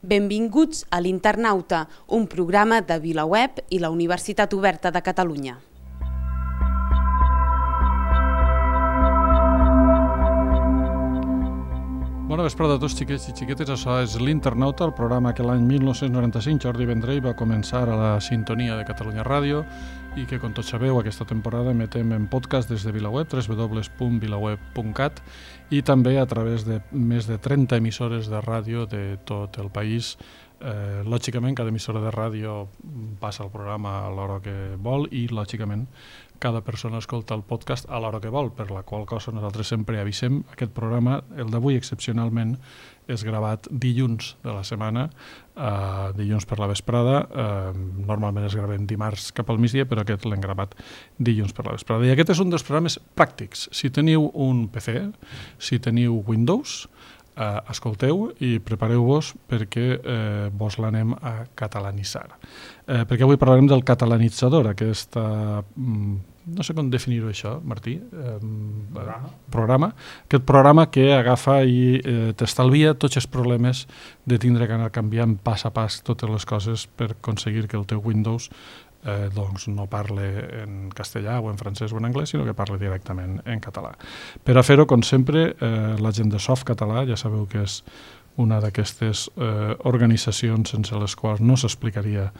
Benvinguts a l'Internauta, un programa de VilaWeb i la Universitat Oberta de Catalunya. Bona vesprada a tots, xiquets i xiquetes. Això és l'Internauta, el programa que l'any 1995 Jordi Vendrell va començar a la sintonia de Catalunya Ràdio i que, com tots sabeu, aquesta temporada emetem en podcast des de VilaWeb, www.vilaweb.cat, i també a través de més de 30 emissores de ràdio de tot el país. Lògicament, cada emissora de ràdio passa el programa a l'hora que vol i, lògicament, cada persona escolta el podcast a l'hora que vol, per la qual cosa nosaltres sempre avisem. Aquest programa, el d'avui excepcionalment, és gravat dilluns de la setmana, dilluns per la vesprada. Normalment es gravem dimarts cap al migdia, però aquest l'hem gravat dilluns per la vesprada. I aquest és un dels programes pràctics. Si teniu un PC, si teniu Windows, escolteu i prepareu-vos perquè vos l'anem a catalanitzar. Perquè avui parlarem del catalanitzador, aquesta... no sé com definir-ho això, Martí. Programa. Aquest programa que agafa i t'estalvia tots els problemes de tindre que anar canviant pas a pas totes les coses per aconseguir que el teu Windows doncs no parle en castellà o en francès o en anglès, sinó que parle directament en català. Per a fer-ho, com sempre, la gent de Softcatalà, ja sabeu que és una d'aquestes organitzacions sense les quals no s'explicaria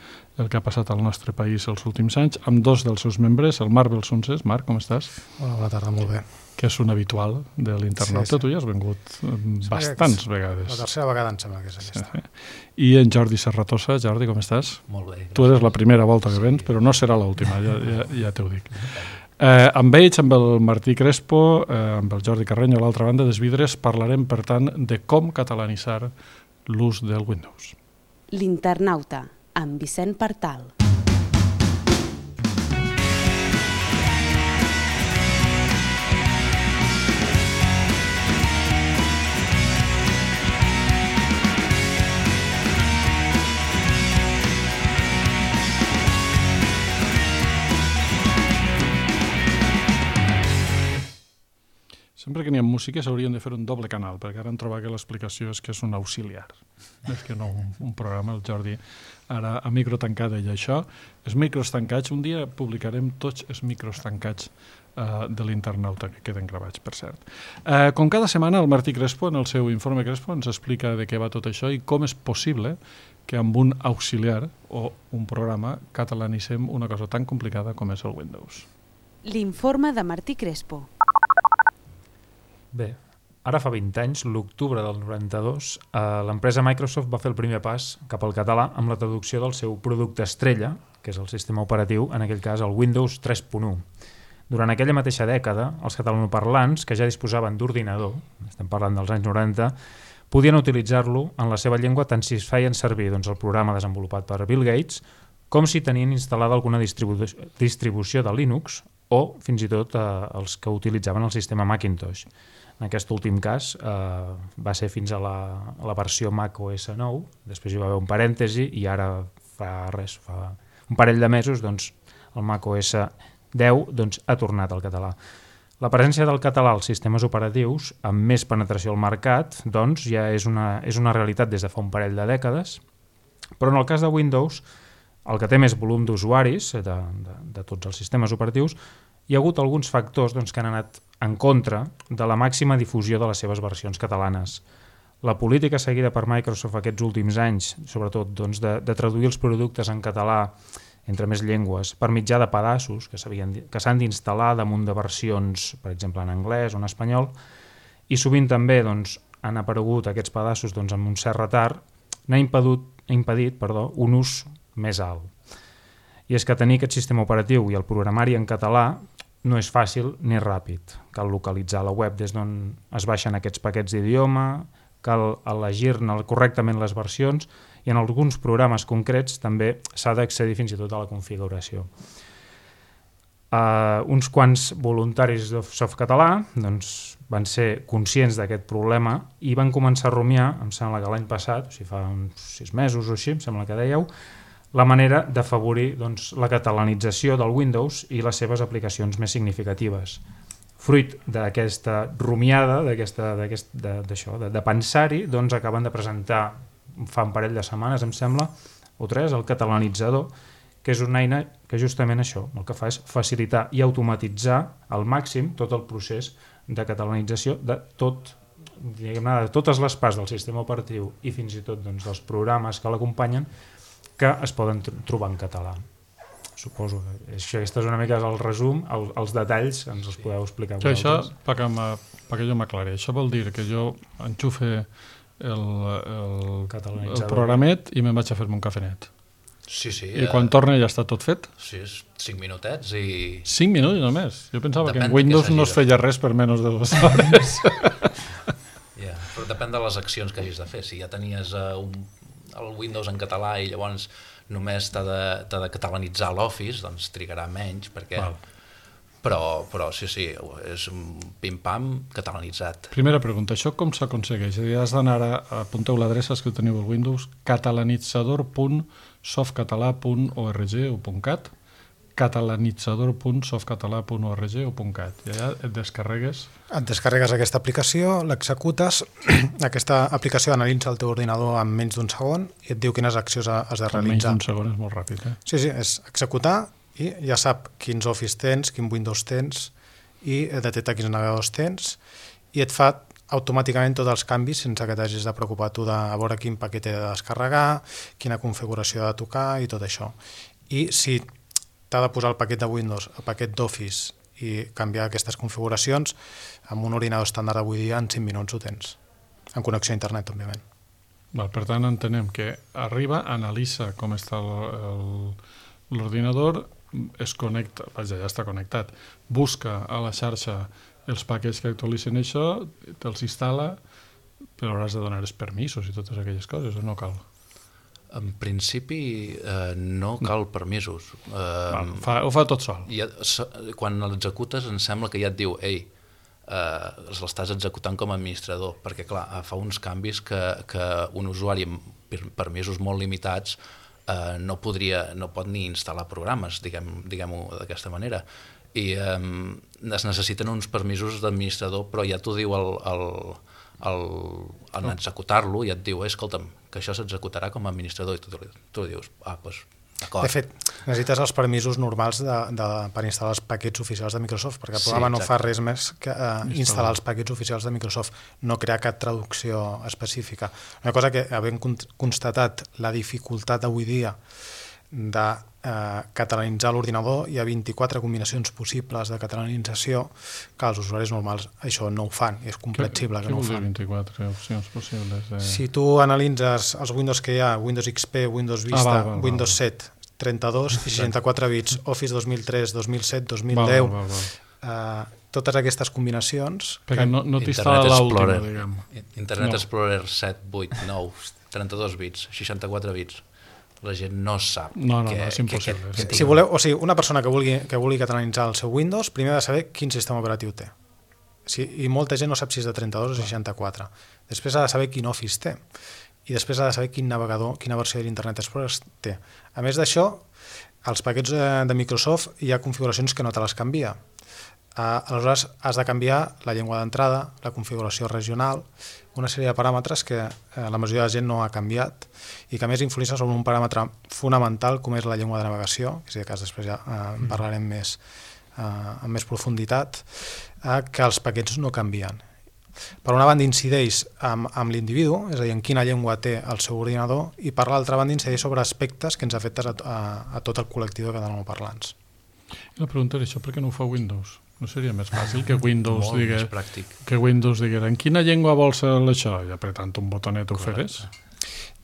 el que ha passat al nostre país els últims anys, amb dos dels seus membres, el Marc Belsunces. Marc, com estàs? Hola, bona tarda, molt bé. Que és un habitual de l'Internauta. Sí. Tu ja has vingut bastants vegades. La tercera vegada em sembla que és aquesta. Sí. I en Jordi Serratosa. Jordi, com estàs? Molt bé. Tu eres la primera volta que vens, però no serà l'última, ja t'ho dic. Amb ells, amb el Martí Crespo, amb el Jordi Carreño a l'altra banda dels vidres, parlarem, per tant, de com catalanitzar l'ús del Windows. L'Internauta, amb Vicent Partal. Sempre que n'hi ha música s'haurien de fer un doble canal, perquè ara han trobat que l'explicació és que és un auxiliar. És que no un programa, el Jordi ara a micro tancat i això. Els micros tancats, un dia publicarem tots els micros tancats de l'Internauta, que queden gravats, per cert. Com cada setmana, el Martí Crespo, en el seu informe Crespo, ens explica de què va tot això i com és possible que amb un auxiliar o un programa catalanitzem una cosa tan complicada com és el Windows. L'informe de Martí Crespo. Bé, ara fa 20 anys, l'octubre del 92, l'empresa Microsoft va fer el primer pas cap al català amb la traducció del seu producte estrella, que és el sistema operatiu, en aquell cas el Windows 3.1. Durant aquella mateixa dècada, els catalanoparlants, que ja disposaven d'ordinador, estem parlant dels anys 90, podien utilitzar-lo en la seva llengua tant si es feien servir el programa desenvolupat per Bill Gates, com si tenien instal·lada alguna distribució de Linux o fins i tot els que utilitzaven el sistema Macintosh. En aquest últim cas va ser fins a la versió Mac OS 9, després hi va haver un parèntesi i ara fa un parell de mesos el Mac OS 10 ha tornat al català. La presència del català als sistemes operatius amb més penetració al mercat ja és una realitat des de fa un parell de dècades, però en el cas de Windows, el que té més volum d'usuaris de tots els sistemes operatius, hi ha hagut alguns factors que han anat en contra de la màxima difusió de les seves versions catalanes. La política seguida per Microsoft aquests últims anys, sobretot de traduir els productes en català entre més llengües per mitjà de pedaços que s'han d'instal·lar damunt de versions, per exemple, en anglès o en espanyol, i sovint també han aparegut aquests pedaços amb un cert retard, n'ha impedit un ús més alt. I és que tenir aquest sistema operatiu i el programari en català no és fàcil ni ràpid. Cal localitzar la web des d'on es baixen aquests paquets d'idioma, cal elegir-ne correctament les versions i en alguns programes concrets també s'ha d'accedir fins i tot a la configuració. Uns quants voluntaris de Softcatalà van ser conscients d'aquest problema i van començar a rumiar, em sembla que l'any passat, fa uns 6 mesos o així, em sembla que dèieu, la manera d'afavorir la catalanització del Windows i les seves aplicacions més significatives. Fruit d'aquesta rumiada, de pensar-hi, acaben de presentar fa un parell de setmanes, em sembla, o 3, el Catalanitzador, que és una eina que justament això, el que fa és facilitar i automatitzar al màxim tot el procés de catalanització de tot, diguem-ne, de totes les parts del sistema operatiu i fins i tot doncs, dels programes que l'acompanyen que es poden trobar en català. Suposo que aquest és una mica el resum, els detalls ens els podeu explicar vosaltres. Això, perquè jo m'aclari, això vol dir que jo enxufe el programet i me'n vaig a fer-me un cafenet. Sí. I quan torna ja està tot fet? Sí, 5 minutets i... 5 minuts només? Jo pensava que en Windows no es feia res per menys de 2 hores. Però depèn de les accions que hagis de fer. Si ja tenies el Windows en català i llavors només t'ha de catalanitzar l'Office, doncs trigarà menys, perquè... Però sí, és un pim-pam catalanitzat. Primera pregunta, això com s'aconsegueix? Has d'anar apunteu l'adreça que teniu al Windows, catalanitzador.softcatalà.org o .cat, catalanitzador.softcatalà.org o .cat. I allà et descarregues... Et descarregues aquesta aplicació, l'executes, aquesta aplicació analitza el teu ordinador en menys d'un segon i et diu quines accions has de realitzar. En menys d'un segon és molt ràpid, eh? Sí, és executar i ja sap quins Office tens, quin Windows tens i detecta quins navegadors tens i et fa automàticament tots els canvis sense que t'hagis de preocupar tu de veure quin paquet he de descarregar, quina configuració ha de tocar i tot això. I si t'ha de posar el paquet de Windows, el paquet d'Office i canviar aquestes configuracions, amb un ordinador estàndard avui dia en 5 minuts ho tens, en connexió a internet, òbviament. Per tant, entenem que arriba, analitza com està l'ordinador, es connecta, ja està connectat, busca a la xarxa els paquets que actualitzen això, te'ls instal·la, però hauràs de donar els permisos i totes aquelles coses, o no cal? En principi no cal permisos. Ho fa tot sol. Quan l'executes em sembla que ja et diu l'estàs executant com a administrador, perquè clar, fa uns canvis que un usuari amb permisos molt limitats no pot ni instal·lar programes, diguem-ho d'aquesta manera. I es necessiten uns permisos d'administrador, però ja t'ho diu en executar-lo, ja et diu, escolta'm, que això s'executarà com a administrador, i tu dius, doncs, d'acord. De fet, necessites els permisos normals per instal·lar els paquets oficials de Microsoft, perquè el programa no fa res més que instal·lar els paquets oficials de Microsoft, no crear cap traducció específica. Una cosa que, havent constatat la dificultat avui dia de catalanitzar l'ordinador, hi ha 24 combinacions possibles de catalanització que els usuaris normals això no ho fan, i és comprensible que no ho fan. Què vol dir 24 opcions possibles? Si tu analitzes els Windows que hi ha, Windows XP, Windows Vista, Windows 7, 32 i 64 bits, Office 2003, 2007, 2010, totes aquestes combinacions... Perquè no t'instal·la l'última, diguem. Internet Explorer 7, 8, 9, 32 bits, 64 bits. La gent no sap. No, és impossible. Si voleu, o sigui, una persona que vulgui catalanitzar el seu Windows, primer ha de saber quin sistema operatiu té. I molta gent no sap si és de 32 o 64. Després ha de saber quin Office té. I després ha de saber quin navegador, quina versió de l'Internet Explorer té. A més d'això, als paquets de Microsoft hi ha configuracions que no te les canvia. Aleshores, has de canviar la llengua d'entrada, la configuració regional, una sèrie de paràmetres que la majoria de gent no ha canviat i que a més influïssa sobre un paràmetre fonamental com és la llengua de navegació, que si de cas després ja en parlarem amb més profunditat, que els paquets no canvien. Per una banda incideix amb l'individu, és a dir, en quina llengua té el seu ordinador, i per l'altra banda incideix sobre aspectes que ens afecten a tot el col·lectiu de catalanoparlants. La pregunta és això, per què no ho fa Windows? No seria més fàcil que Windows digués en quina llengua vols això? I apretant un botonet ho feres?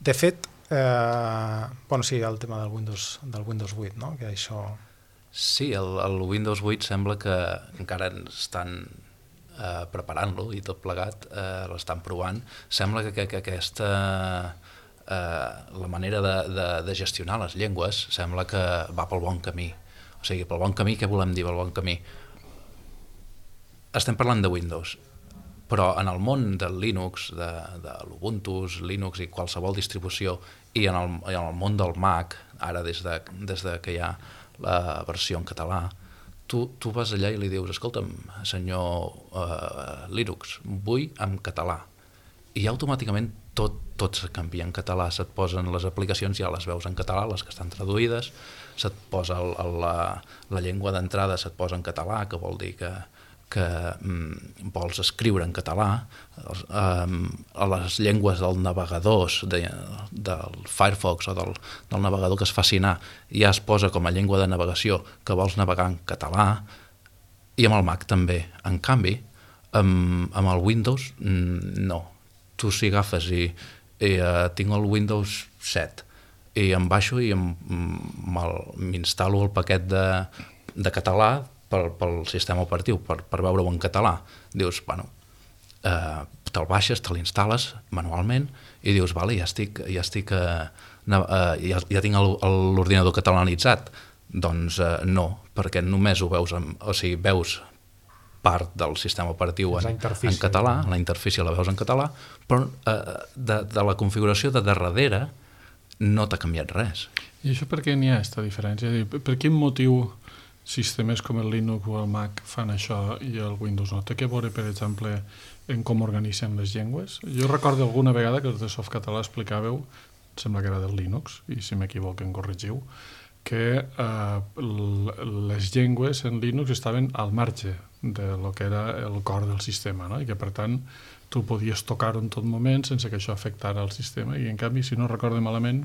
De fet, sí, el tema del Windows 8, no? Que això... Sí, el Windows 8 sembla que encara estan preparant-lo i tot plegat, l'estan provant. Sembla que aquesta... la manera de gestionar les llengües sembla que va pel bon camí. O sigui, pel bon camí, què volem dir pel bon camí? Estem parlant de Windows, però en el món del Linux, de l'Ubuntu, Linux i qualsevol distribució, i en el món del Mac, ara des de que hi ha la versió en català, tu vas allà i li dius, escolta'm, senyor Linux, vull en català. I automàticament tot se canvia en català, se't posen les aplicacions, ja les veus en català, les que estan traduïdes, se't posa la llengua d'entrada, se't posa en català, que vol dir que vols escriure en català, a les llengües dels navegadors del Firefox o del navegador que es faci anar, ja es posa com a llengua de navegació que vols navegar en català, i amb el Mac també. En canvi, amb el Windows no. Tu si agafes i tinc el Windows 7 i em baixo i m'instal·lo el paquet de català pel sistema operatiu, per veure-ho en català. Dius, bueno, te'l baixes, te l'instal·les manualment i dius, vale, ja tinc l'ordinador catalanitzat. Doncs no, perquè només ho veus, o sigui, veus part del sistema operatiu en català, la interfície la veus en català, però de la configuració de darrere no t'ha canviat res. I això per què n'hi ha aquesta diferència? Per quin motiu sistemes com el Linux o el Mac fan això i el Windows no? Té que veure, per exemple, en com organitzen les llengües? Jo recordo alguna vegada que els de Softcatalà explicàveu, sembla que era del Linux, i si m'equivoco en corregiu, que les llengües en Linux estaven al marge de lo que era el cor del sistema, no? I que per tant tu podies tocar-ho en tot moment sense que això afectara el sistema, i en canvi, si no recordo malament,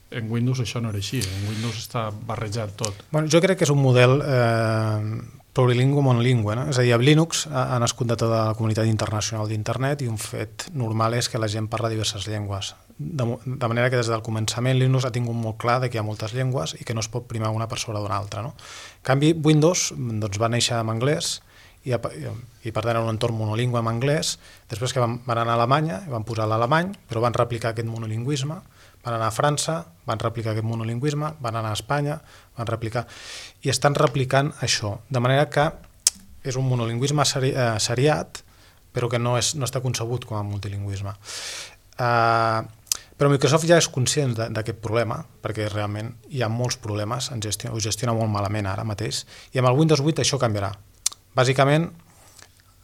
en Windows això no era així, en Windows està barrejat tot. Bueno, jo crec que és un model plurilingüe monolingüe, no? És a dir, amb Linux ha nascut de tota la comunitat internacional d'internet i un fet normal és que la gent parla diverses llengües. De manera que des del començament Linux ha tingut molt clar que hi ha moltes llengües i que no es pot primar una per sobre d'una altra, no? En canvi, Windows doncs, va néixer en anglès i per tant era un entorn monolingüe en anglès. Després que van anar a Alemanya i van posar l'alemany, però van replicar aquest monolingüisme. Van anar a França, van replicar aquest monolingüisme, van anar a Espanya, van replicar... I estan replicant això, de manera que és un monolingüisme seriat, però que no està concebut com a multilingüisme. Però Microsoft ja és conscient d'aquest problema, perquè realment hi ha molts problemes, ho gestiona molt malament ara mateix, i amb el Windows 8 això canviarà. Bàsicament,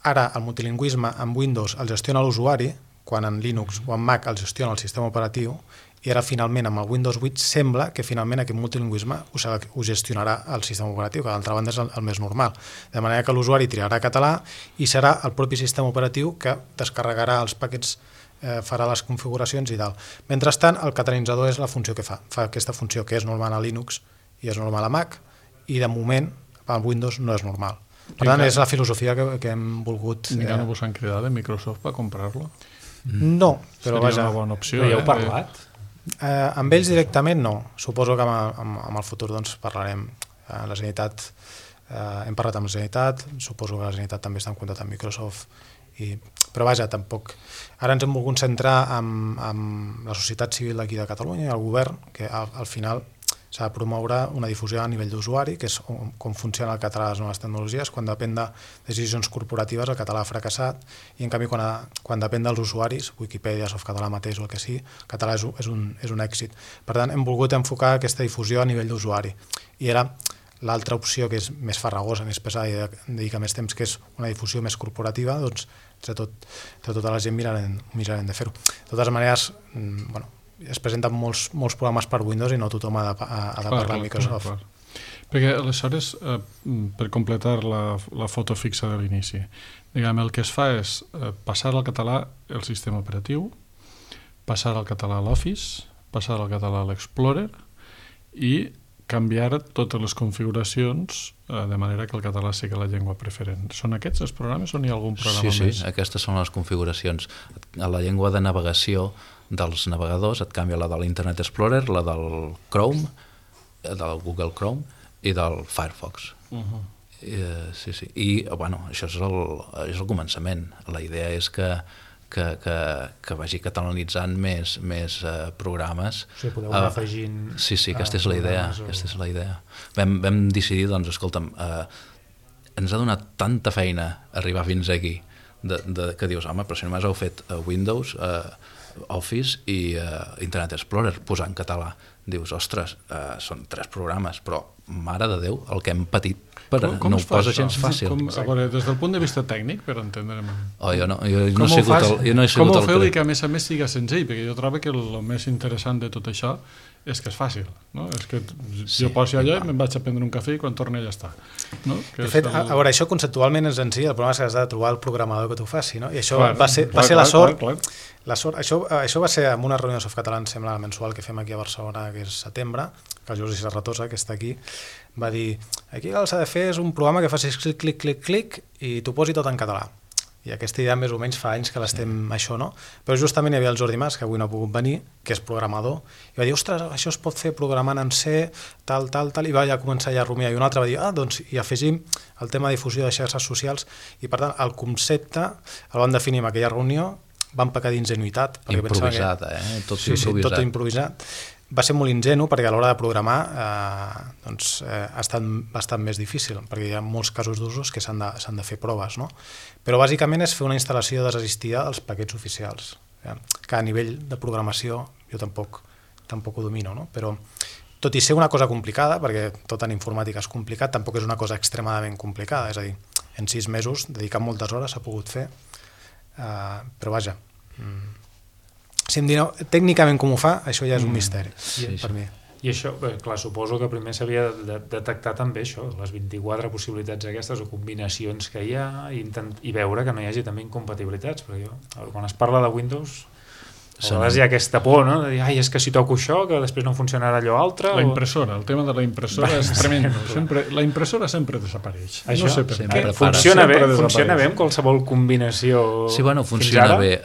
ara el multilingüisme en Windows el gestiona l'usuari, quan en Linux o en Mac el gestiona el sistema operatiu, i ara finalment amb el Windows 8 sembla que finalment aquest multilingüisme ho gestionarà el sistema operatiu, que d'altra banda és el més normal. De manera que l'usuari triarà català i serà el propi sistema operatiu que descarregarà els paquets, farà les configuracions i tal. Mentrestant, el catalanitzador és la funció que fa aquesta funció que és normal a Linux i és normal a Mac, i de moment a Windows no és normal. Per tant, és la filosofia que hem volgut... Encara no vos han cridat de Microsoft per comprar-lo? No, però vaja... Seria una bona opció. Però ja heu parlat? Amb ells directament no. Suposo que amb el futur doncs, parlarem. La Generalitat, hem parlat amb la Generalitat, suposo que la Generalitat també està en contacte amb Microsoft, però vaja, tampoc. Ara ens hem volgut centrar en la societat civil d'aquí de Catalunya i el govern, que al final s'ha de promoure una difusió a nivell d'usuari, que és com funciona el català a les noves tecnologies. Quan depèn de decisions corporatives, el català ha fracassat, i en canvi quan depèn dels usuaris, Wikipedia, Softcatalà mateix o el que sigui, el català és un èxit. Per tant, hem volgut enfocar aquesta difusió a nivell d'usuari. I era l'altra opció, que és més farragosa, més pesada i dedica més temps, que és una difusió més corporativa, doncs entre tota la gent mirarem de fer-ho. De totes maneres, bueno, es presenten molts programes per Windows i no tothom ha de parlar amb Microsoft. Clar. Perquè aleshores, per completar la foto fixa de l'inici, diguem, el que es fa és passar al català el sistema operatiu, passar al català l'Office, passar al català l'Explorer i canviar totes les configuracions de manera que el català sigui la llengua preferent. Són aquests els programes o n'hi ha algun programa més? Sí, aquestes són les configuracions. A la llengua de navegació dels navegadors et canvia la de l'Internet Explorer, la del Chrome, del Google Chrome i del Firefox. Sí. I, bueno, això és el començament. La idea és que vagi catalanitzant més programes. O sigui, podeu anar afegint... Sí, aquesta és la idea. Vam decidir, doncs, escolta'm, ens ha donat tanta feina arribar fins aquí, que dius, home, però si només heu fet Windows, Office i Internet Explorer, posar en català. dius, ostres, són 3 programes, però mare de Déu, el que hem patit com no ho es fa posa això? gens fàcil. A veure, des del punt de vista tècnic, per entendre'm... Jo no he sigut el com ho feu i que a més siga senzill? Perquè jo trobo que el més interessant de tot això és que és fàcil, no? És que jo poso allò i me'n vaig a prendre un cafè i quan torni ja està. No? De fet, a veure, això conceptualment és senzill, el problema és que has de trobar el programador que t'ho faci, no? I això va ser la sort. Això va ser en una reunió de Softcatalà, em sembla, mensual que fem aquí a Barcelona, que és setembre, que el Jordi Serratosa, que està aquí, va dir, aquí el que s'ha de fer és un programa que facis clic, clic, clic, clic i t'ho posi tot en català. I aquesta idea més o menys fa anys que l'estem això, no? Però justament hi havia el Jordi Mas, que avui no ha pogut venir, que és programador, i va dir, ostres, això es pot fer programant en C, tal, i va ja començar ja a rumiar, i un altre va dir, doncs hi afegim el tema de difusió de xarxes socials, i per tant el concepte el vam definir en aquella reunió, vam pecar d'ingenuïtat. Improvisat, tot improvisat. Tot improvisat. Va ser molt ingenu perquè a l'hora de programar ha estat bastant més difícil, perquè hi ha molts casos d'usos que s'han de fer proves, no? Però bàsicament és fer una instal·lació desassistida dels paquets oficials, que a nivell de programació jo tampoc ho domino, no? Però tot i ser una cosa complicada, perquè tot en informàtica és complicat, tampoc és una cosa extremadament complicada, és a dir, en 6 mesos, dedicant moltes hores, s'ha pogut fer, però vaja... Si em diuen tècnicament com ho fa, això ja és un misteri per mi. I això, clar, suposo que primer s'havia de detectar també això, les 24 possibilitats aquestes o combinacions que hi ha i veure que no hi hagi també incompatibilitats, perquè quan es parla de Windows a vegades hi ha aquesta por, no? De dir, és que si toco això, que després no funcionarà allò altre. La impressora, el tema de la impressora és tremendo. La impressora sempre desapareix. Això, no sé per què. Funciona bé amb qualsevol combinació. Sí, bueno, funciona bé.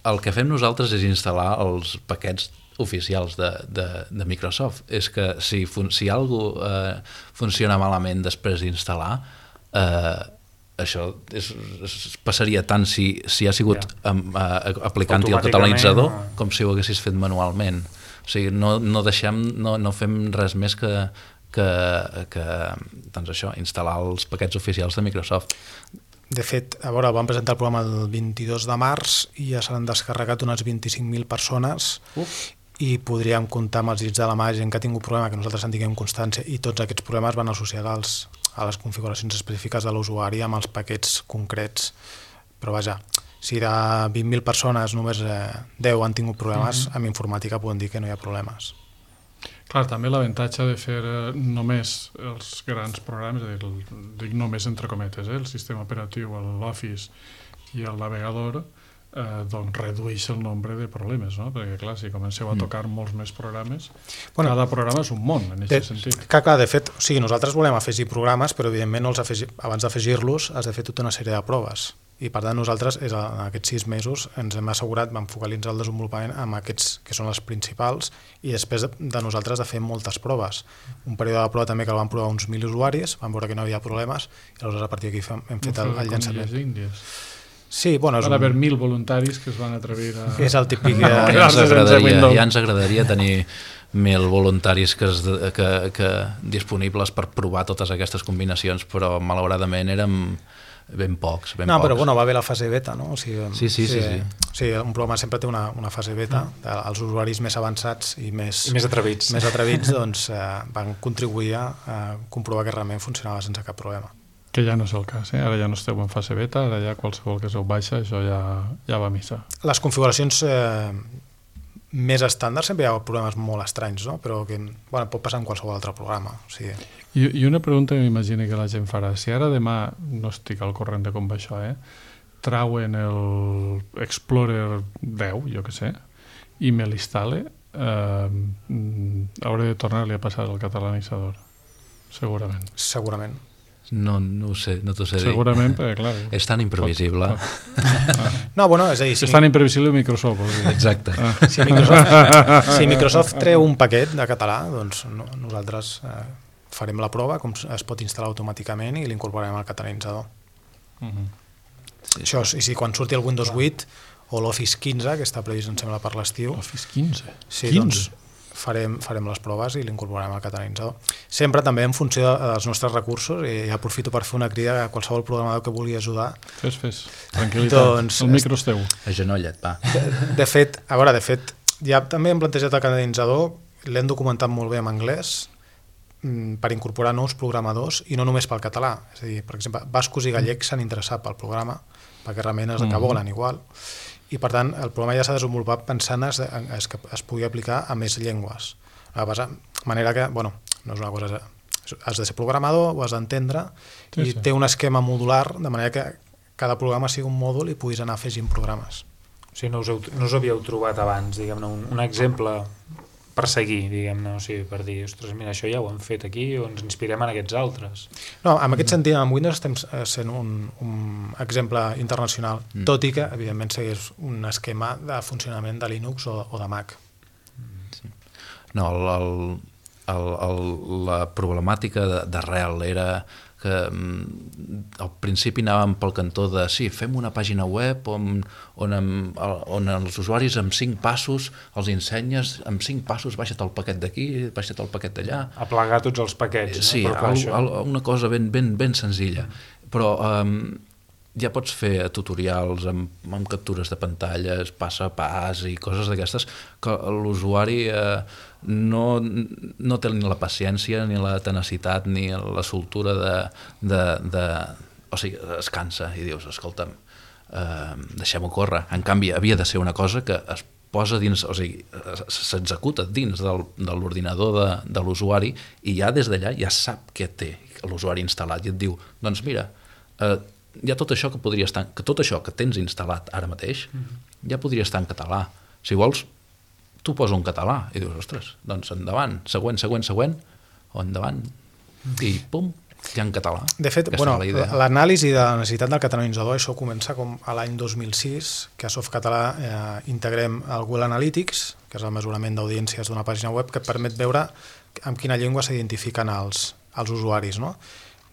El que fem nosaltres és instal·lar els paquets oficials de Microsoft. És que si alguna funciona malament després d'instal·lar, això passaria tant si ha sigut aplicant-hi el catalanitzador com si ho haguessis fet manualment. O sigui, no fem res més que doncs això, instal·lar els paquets oficials de Microsoft. De fet, a veure, vam presentar el programa el 22 de març i ja s'han descarregat unes 25.000 persones i podríem comptar amb els dits de la mà gent que ha tingut problema, que nosaltres en tinguem constància, i tots aquests problemes van associats a les configuracions específiques de l'usuari amb els paquets concrets. Però vaja, si de 20.000 persones només 10 han tingut problemes, amb informàtica podem dir que no hi ha problemes. Clar, també l'avantatge de fer només els grans programes, dic només entre cometes, el sistema operatiu, l'Office i el navegador, doncs redueix el nombre de problemes, no? Perquè clar, si comenceu a tocar molts més programes, cada programa és un món en aquest sentit. Clar, de fet, o sigui, nosaltres volem afegir programes, però evidentment abans d'afegir-los has de fer tota una sèrie de proves. I per tant nosaltres en aquests 6 mesos ens hem assegurat, vam focalitzar el desenvolupament amb aquests que són els principals i després de nosaltres de fer moltes proves. Un període de prova també que el van provar uns 1.000 usuaris, vam veure que no hi havia problemes i aleshores a partir d'aquí hem fet el llançament. Sí, bueno, van haver 1.000 voluntaris que es van atrevir a... És el típic... Ja ens agradaria tenir 1.000 voluntaris disponibles per provar totes aquestes combinacions, però malauradament érem ben pocs. Però bueno, va haver la fase beta, no? O sigui, sí. Un programa sempre té una fase beta. Els usuaris més avançats i més atrevits doncs, van contribuir a comprovar que realment funcionava sense cap problema. Que ja no és el cas, ara ja no esteu en fase beta, ara ja qualsevol que sou baixa, això ja va a missa. Les configuracions més estàndard sempre hi ha problemes molt estranys, no? Però que pot passar en qualsevol altre programa. O sigui... I una pregunta que m'imagino que la gent farà, si ara demà, no estic al corrent de com va això, trauen el Explorer 10, jo què sé, i me l'instal·le, hauré de tornar-li a passar el catalanitzador, segurament. Segurament. No ho sé, no t'ho sé dir. Segurament, perquè clar... És tan imprevisible. No, bueno, és a dir... És tan imprevisible Microsoft. Exacte. Si Microsoft treu un paquet de català, doncs nosaltres farem la prova, com es pot instal·lar automàticament i l'incorporarem al catalanitzador. Això, i si quan surti el Windows 8 o l'Office 15, que està previst, em sembla, per l'estiu... Office 15? Sí, doncs farem les proves i l'incorporarem al catalanitzador. Sempre també en funció dels nostres recursos, i aprofito per fer una crida a qualsevol programador que vulgui ajudar. Fes, tranquil·litat, el micro és teu. Agenolla't, va. De fet, ja també hem plantejat el catalanitzador, l'hem documentat molt bé en anglès per incorporar nous programadors i no només pel català. És a dir, per exemple, bascos i gallecs s'han interessat pel programa perquè realment és el que volen igual. I per tant, el programa ja s'ha desenvolupat pensant que es pugui aplicar a més llengües. De manera que, bueno, no és una cosa... Has de ser programador, ho has d'entendre i té un esquema modular de manera que cada programa sigui un mòdul i puguis anar afegint programes. O sigui, no us havíeu trobat abans, diguem-ne, un exemple per seguir, diguem-ne, o sigui, per dir, ostres, mira, això ja ho hem fet aquí o ens inspirem en aquests altres. No, en aquest sentit, amb Windows estem sent un exemple internacional, tot i que, evidentment, segueix un esquema de funcionament de Linux o de Mac. Sí. No, la problemàtica d'arrel era que al principi anàvem pel cantó de sí, fem una pàgina web on els usuaris amb 5 passos els ensenyes, amb 5 passos baixa't el paquet d'aquí, baixa't el paquet d'allà. Aplegar tots els paquets. Sí, una cosa ben senzilla. Però ja pots fer tutorials amb captures de pantalles, pas a pas i coses d'aquestes que l'usuari no té ni la paciència, ni la tenacitat, ni la soltura o sigui, es cansa i dius, escolta'm, deixem-ho córrer. En canvi, havia de ser una cosa que es posa dins, o sigui, s'executa dins de l'ordinador de l'usuari i ja des d'allà ja sap què té l'usuari instal·lat i et diu, doncs mira, hi ha tot això que tot això que tens instal·lat ara mateix ja podria estar en català. Si vols, tu posa un català i dius, ostres, doncs endavant, següent, o endavant, i pum, ja en català. De fet, l'anàlisi de la necessitat del catalanitzador, això comença com a l'any 2006, que a Softcatalà integrem el Google Analytics, que és el mesurament d'audiències d'una pàgina web, que et permet veure amb quina llengua s'identifiquen els usuaris, no?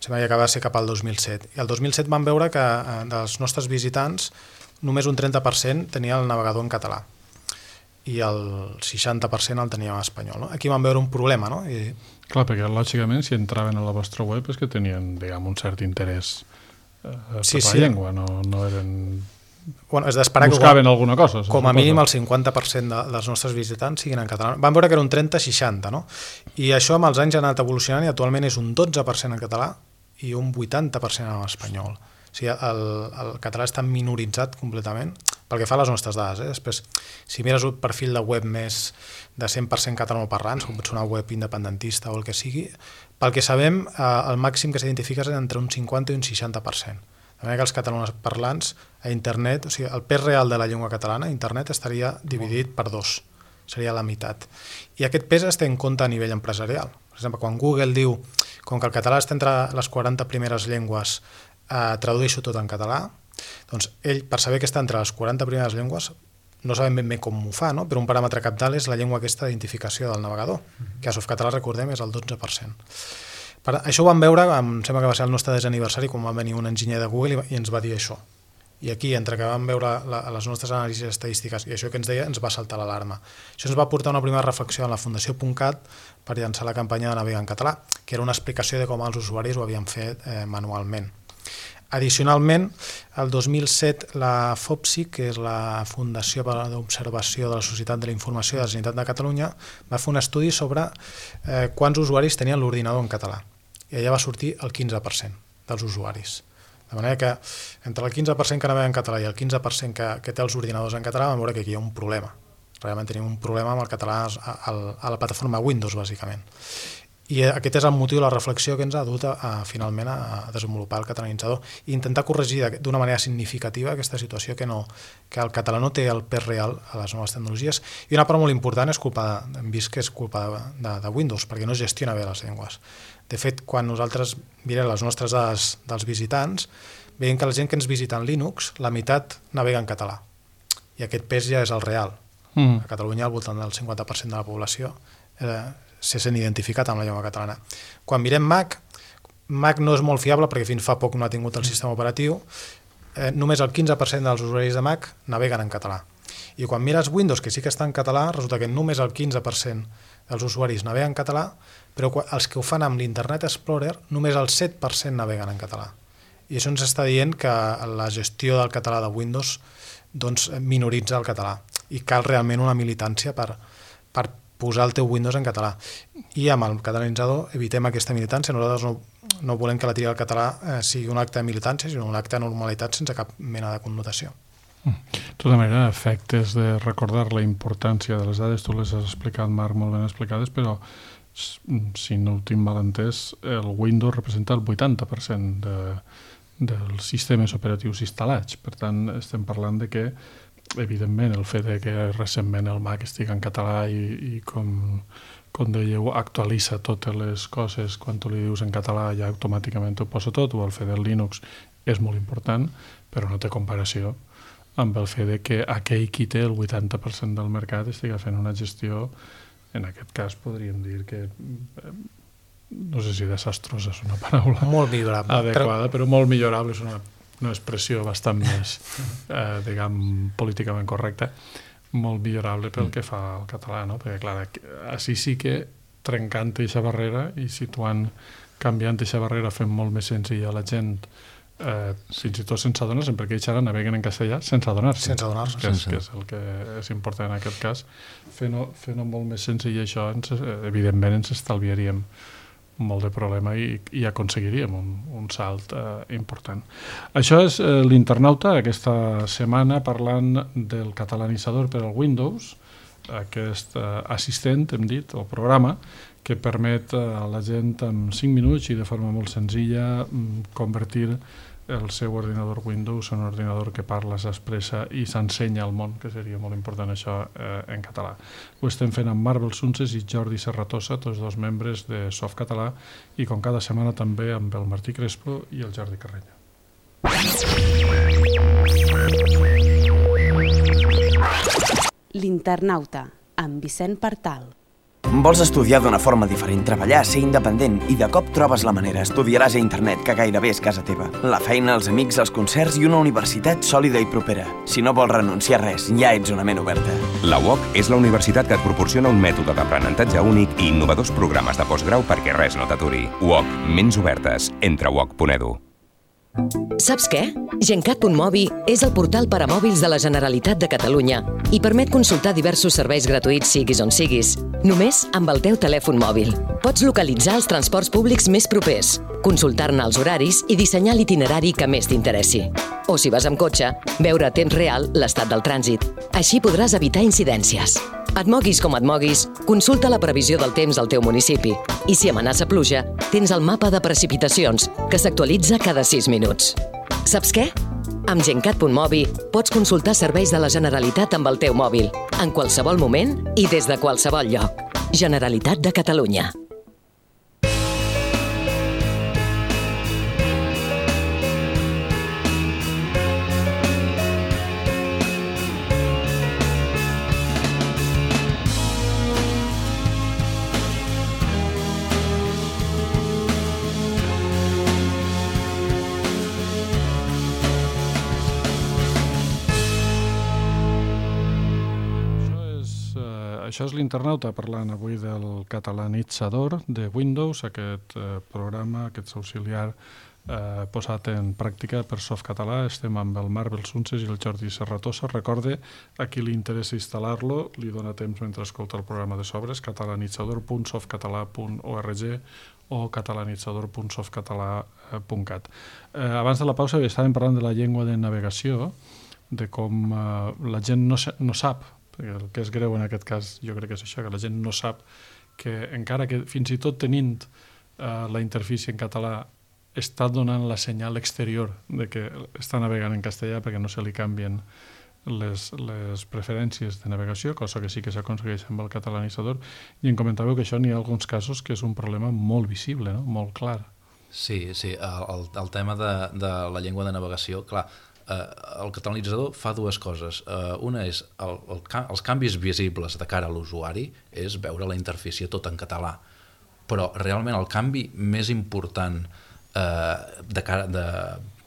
Sembla que acaba de ser cap al 2007. I el 2007 vam veure que dels nostres visitants només un 30% tenia el navegador en català i el 60% el tenia en espanyol. No? Aquí vam veure un problema. No? Clar, perquè lògicament si entraven a la vostra web és que tenien, diguem, un cert interès per la llengua, no eren... Bueno, és d'esperar que buscaven alguna cosa. Com a mínim el 50% dels nostres visitants siguin en català. Vam veure que era un 30-60, no? I això amb els anys ha anat evolucionant i actualment és un 12% en català i un 80% en espanyol. O sigui, el català està minoritzat completament pel que fa a les nostres dades. Després, si mires un perfil de web més de 100% catalanoparlants, com pot ser una web independentista o el que sigui, pel que sabem, el màxim que s'identifica és entre un 50 i un 60%. De manera que els catalanoparlants a internet, o sigui, el pes real de la llengua catalana a internet estaria dividit per 2, seria la meitat. I aquest pes es té en compte a nivell empresarial. Per exemple, quan Google diu, com que el català està entre les 40 primeres llengües, tradueixo tot en català, doncs ell, per saber que està entre les 40 primeres llengües, no sabem ben bé com ho fa, no? Però un paràmetre cabdal és la llengua aquesta d'identificació del navegador, que a Softcatalà, recordem, és el 12%. Això ho vam veure, em sembla que va ser el nostre desaniversari, quan va venir un enginyer de Google i ens va dir això. I aquí, entre que vam veure les nostres anàlisis estadístiques i això que ens deia, ens va saltar l'alarma. Això ens va portar una primera reflexió en la Fundació .cat per llançar la campanya de Navega en català, que era una explicació de com els usuaris ho havien fet manualment. Addicionalment, el 2007 la FOPSI, que és la Fundació d'Observació de la Societat de la Informació de la Generalitat de Catalunya, va fer un estudi sobre quants usuaris tenien l'ordinador en català. I allà va sortir el 15% dels usuaris. De manera que entre el 15% que navega en català i el 15% que té els ordinadors en català vam veure que aquí hi ha un problema. Realment tenim un problema amb el català a la plataforma Windows, bàsicament. I aquest és el motiu de la reflexió que ens ha dut finalment a desenvolupar el catalanitzador i intentar corregir d'una manera significativa aquesta situació que el català no té el pes real a les noves tecnologies. I una part molt important és hem vist que és culpa de Windows, perquè no es gestiona bé les llengües. De fet, quan nosaltres mirem les nostres dades dels visitants, veiem que la gent que ens visita en Linux, la meitat navega en català. I aquest pes ja és el real. A Catalunya, al voltant del 50% de la població se sent identificat amb la llengua catalana. Quan mirem Mac no és molt fiable perquè fins fa poc no ha tingut el sistema operatiu. Només el 15% dels usuaris de Mac naveguen en català. I quan mires Windows, que sí que està en català, resulta que només el 15% dels usuaris naveguen en català, però els que ho fan amb l'Internet Explorer, només el 7% naveguen en català. I això ens està dient que la gestió del català de Windows minoritza el català i cal realment una militància per posar el teu Windows en català. I amb el catalanitzador evitem aquesta militància. Nosaltres no volem que la tria del català sigui un acte de militància, sinó un acte de normalitat sense cap mena de connotació. De tota manera, efectes de recordar la importància de les dades, tu les has explicat, Marc, molt ben explicades, però si no ho tinc mal entès, el Windows representa el 80% dels sistemes operatius instal·lats. Per tant, estem parlant de que, evidentment, el fet de que recentment el Mac estigui en català i com dèieu, actualitza totes les coses, quan tu li dius en català ja automàticament ho posa tot, o el fet del Linux és molt important, però no té comparació amb el fet de que aquell qui té el 80% del mercat estigui fent una gestió, en aquest cas podríem dir que, no sé si desastrosa és una paraula molt millorable, adequada, però molt millorable és una expressió bastant més, diguem, políticament correcta, molt millorable pel que fa al català, no? Perquè, clar, així sí que trencant aquesta barrera i situant, canviant aquesta barrera, fent molt més senzilla a la gent, fins i tot sense adonar-se, perquè ells ara naveguen en castellà sense adonar-se, que és el que és important en aquest cas. Fent-ho molt més senzill això, evidentment ens estalviaríem molt de problema i aconseguiríem un salt important. Això és l'Internauta, aquesta setmana parlant del catalanitzador per al Windows, aquest assistent, hem dit, o programa, que permet a la gent en 5 minuts i de forma molt senzilla convertir el seu ordinador Windows en un ordinador que parla, s'expressa i s'ensenya al món, que seria molt important això en català. Ho estem fent amb Marc Belsunces i Jordi Serratosa, tots dos membres de Softcatalà, i com cada setmana també amb el Martí Crespo i el Jordi Carreño. L'Internauta, amb Vicent Partal. Vols estudiar d'una forma diferent, treballar, ser independent i de cop trobes la manera, estudiaràs a internet, que gairebé és casa teva. La feina, els amics, els concerts i una universitat sòlida i propera. Si no vols renunciar a res, ja ets una ment oberta. La UOC és la universitat que et proporciona un mètode d'aprenentatge únic i innovadors programes de postgrau perquè res no t'aturi. UOC, ments obertes. Entra a uoc.edu. Saps què? Gencat.mobi és el portal per a mòbils de la Generalitat de Catalunya i permet consultar diversos serveis gratuïts siguis on siguis, només amb el teu telèfon mòbil. Pots localitzar els transports públics més propers, consultar-ne els horaris i dissenyar l'itinerari que més t'interessi. O si vas amb cotxe, veure a temps real l'estat del trànsit. Així podràs evitar incidències. Et moguis com et moguis, consulta la previsió del temps al teu municipi. I si amenaça pluja, tens el mapa de precipitacions, que s'actualitza cada 6 minuts. Saps què? Amb Gencat.mobi pots consultar serveis de la Generalitat amb el teu mòbil, en qualsevol moment i des de qualsevol lloc. Generalitat de Catalunya. Això és l'Internauta parlant avui del catalanitzador de Windows, aquest programa, aquest auxiliar posat en pràctica per Softcatalà. Estem amb el Marc Belsunces i el Jordi Serratosa. Recorde, a qui li interessa instal·lar-lo, li dona temps mentre escolta el programa de sobres, catalanitzador.softcatalà.org o catalanitzador.softcatalà.cat. Abans de la pausa estàvem parlant de la llengua de navegació, de com la gent no sap, el que és greu en aquest cas jo crec que és això, que la gent no sap que encara que fins i tot tenint la interfície en català està donant la senyal exterior de que està navegant en castellà perquè no se li canvien les preferències de navegació, cosa que sí que s'aconsegueix amb el catalanitzador, i em comentàveu que això n'hi ha alguns casos que és un problema molt visible, no? Molt clar. Sí, el tema de la llengua de navegació, clar, el catalanitzador fa dues coses. Una és els canvis visibles de cara a l'usuari, és veure la interfície tot en català, però realment el canvi més important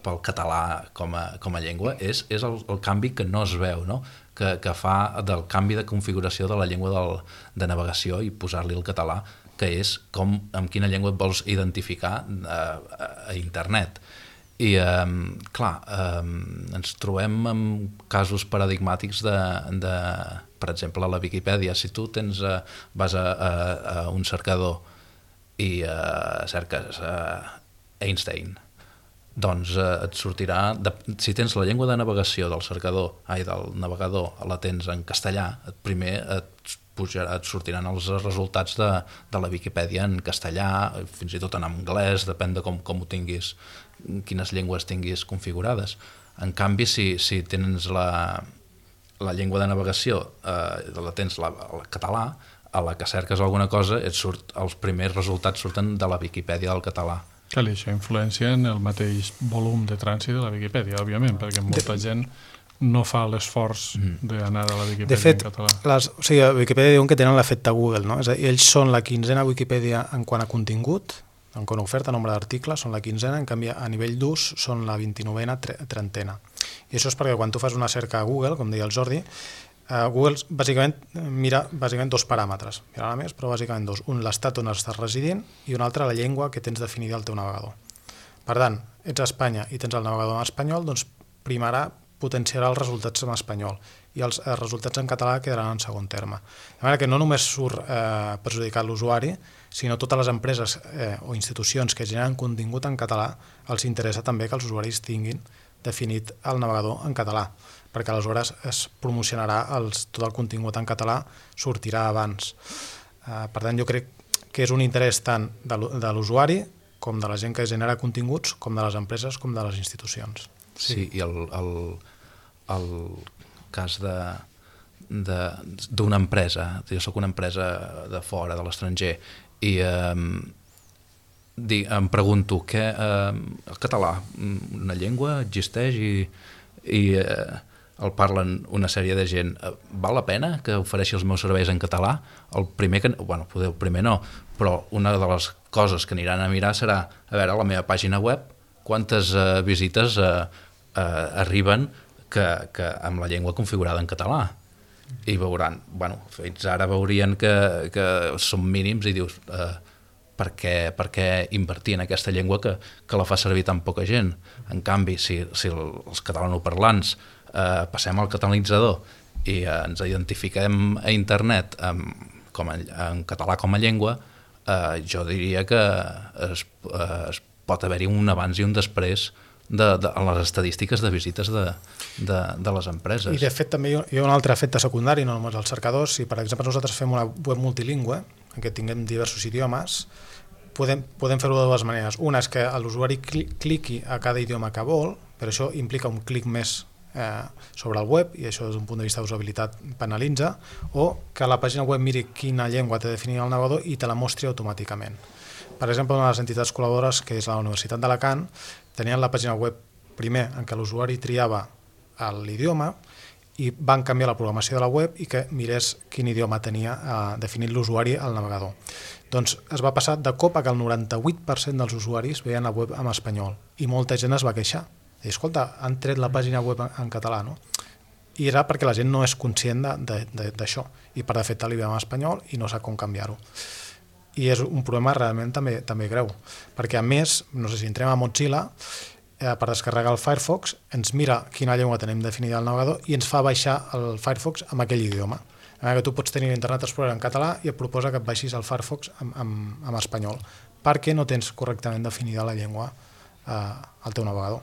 pel català com a llengua és el canvi que no es veu, no? Que fa del canvi de configuració de la llengua de navegació i posar-li el català, que és amb quina llengua et vols identificar a internet. I, clar, ens trobem amb casos paradigmàtics per exemple, a la Viquipèdia, si tu vas a un cercador i cerques Einstein, doncs et sortirà, si tens la llengua de navegació del navegador la tens en castellà, primer et sortiran els resultats de la Viquipèdia en castellà, fins i tot en anglès, depèn de com ho tinguis, quines llengües tinguis configurades. En canvi, si tens la llengua de navegació, la tens el català, a la que cerques alguna cosa, els primers resultats surten de la Viquipèdia del català. Clar, això influencia en el mateix volum de trànsit de la Viquipèdia, òbviament, perquè molta gent no fa l'esforç d'anar a la Viquipèdia en català. O sigui, a Viquipèdia diuen que tenen l'efecte Google, no? És a dir, ells són la 15a Viquipèdia en quant a contingut, en quant a oferta, nombre d'articles, són la 15a, en canvi a nivell d'ús són la 29a, 30a. I això és perquè quan tu fas una cerca a Google, com deia el Jordi, Google bàsicament mira dos paràmetres, mira més, però bàsicament dos. Un, l'estat on estàs residint, i un altre, la llengua que tens definida al teu navegador. Per tant, ets a Espanya i tens el navegador en espanyol, doncs potenciarà els resultats en espanyol i els resultats en català quedaran en segon terme. De manera que no només surt perjudicat l'usuari, sinó totes les empreses o institucions que generen contingut en català els interessa també que els usuaris tinguin definit el navegador en català, perquè aleshores es promocionarà tot el contingut en català, sortirà abans. Per tant, jo crec que és un interès tant de l'usuari com de la gent que genera continguts, com de les empreses, com de les institucions. Sí, i el cas d'una empresa, jo soc una empresa de fora, de l'estranger, i em pregunto que el català, una llengua, existeix i el parlen una sèrie de gent. Val la pena que ofereixi els meus serveis en català? Potser el primer no, però una de les coses que aniran a mirar serà, a veure, a la meva pàgina web, quantes visites arriben amb la llengua configurada en català. I veuran, fins ara veurien que són mínims i dius, per què invertir en aquesta llengua que la fa servir tan poca gent? En canvi, si els catalanoparlants passem al catalanitzador i ens identifiquem a internet en català com a llengua, jo diria que es pot haver-hi un abans i un després en les estadístiques de visites de les empreses. I de fet també hi ha un altre efecte secundari, no només els cercadors. Si per exemple nosaltres fem una web multilingüe en què tinguem diversos idiomes, podem fer-ho de dues maneres. Una és que l'usuari cliqui a cada idioma que vol, però això implica un clic més sobre el web, i això des d'un punt de vista d'usabilitat penalitza, o que la pàgina web miri quina llengua té definida el navegador i te la mostri automàticament. Per exemple, una de les entitats col·laboradores, que és la Universitat d'Alacant, tenien la pàgina web primer en què l'usuari triava l'idioma i van canviar la programació de la web i que mirés quin idioma tenia definit l'usuari al navegador. Doncs es va passar de cop a que el 98% dels usuaris veien la web en espanyol i molta gent es va queixar. I escolta, han tret la pàgina web en català, no? I era perquè la gent no és conscient d'això i per defecte li veiem en espanyol i no sap com canviar-ho. I és un problema realment també greu, perquè a més, no sé si entrem a Mozilla, per descarregar el Firefox, ens mira quina llengua tenim definida al navegador i ens fa baixar el Firefox amb aquell idioma. Que tu pots tenir l'Internet Explorer en català i et proposa que et baixis el Firefox en espanyol, perquè no tens correctament definida la llengua al teu navegador.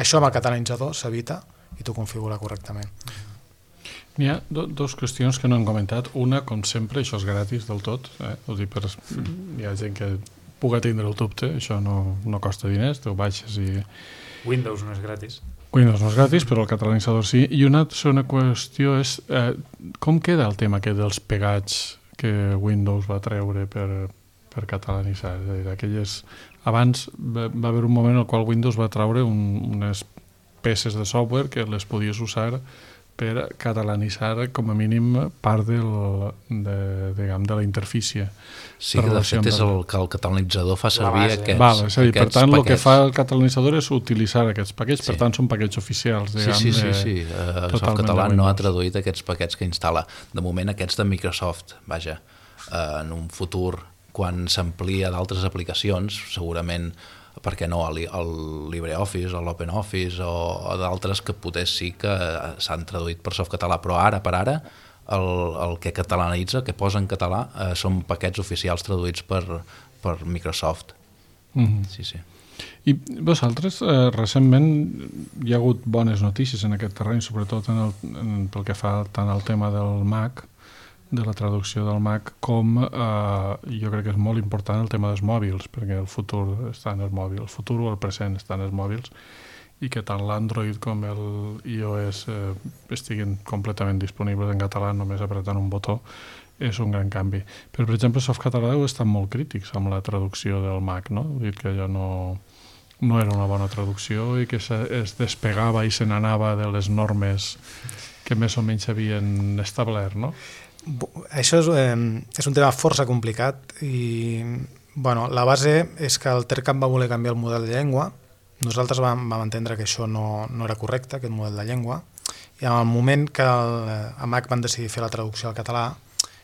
Això amb el catalanitzador s'evita i t'ho configura correctament. N'hi ha dues qüestions que no hem comentat. Una, com sempre, això és gratis del tot. Hi ha gent que puga tindre el dubte, això no costa diners, tu baixes i... Windows no és gratis. Windows no és gratis, però el catalanitzador sí. I una segona qüestió és com queda el tema aquest dels pegats que Windows va treure per catalanitzar? És a dir, aquelles... Abans va haver un moment en el qual Windows va treure unes peces de software que les podies usar per catalanitzar com a mínim part de la interfície. Sí, que de fet és el que el catalanitzador fa servir aquests paquets. Per tant, el que fa el catalanitzador és utilitzar aquests paquets, per tant són paquets oficials. Sí. El català no ha traduït aquests paquets que instal·la. De moment aquests de Microsoft, vaja, en un futur quan s'amplia d'altres aplicacions, segurament, per què no, el LibreOffice o l'OpenOffice o d'altres que potser sí que s'han traduït per softcatalà, però per ara el que catalanitza, que posa en català, són paquets oficials traduïts per Microsoft. Sí, sí. I vosaltres, recentment hi ha hagut bones notícies en aquest terreny, sobretot pel que fa tant al tema del Mac, de la traducció del Mac, com jo crec que és molt important el tema dels mòbils, perquè el futur està en els mòbils, el futur o el present està en els mòbils, i que tant l'Android com el iOS estiguin completament disponibles en català només apretant un botó, és un gran canvi. Però, per exemple, Softcatalà heu estat molt crítics amb la traducció del Mac, no? Heu dit que allò no era una bona traducció i que es despegava i se n'anava de les normes que més o menys havien establert, no? Això és un tema força complicat i la base és que el TERCAT va voler canviar el model de llengua. Nosaltres vam entendre que això no era correcte, aquest model de llengua, i en el moment que a Mac van decidir fer la traducció al català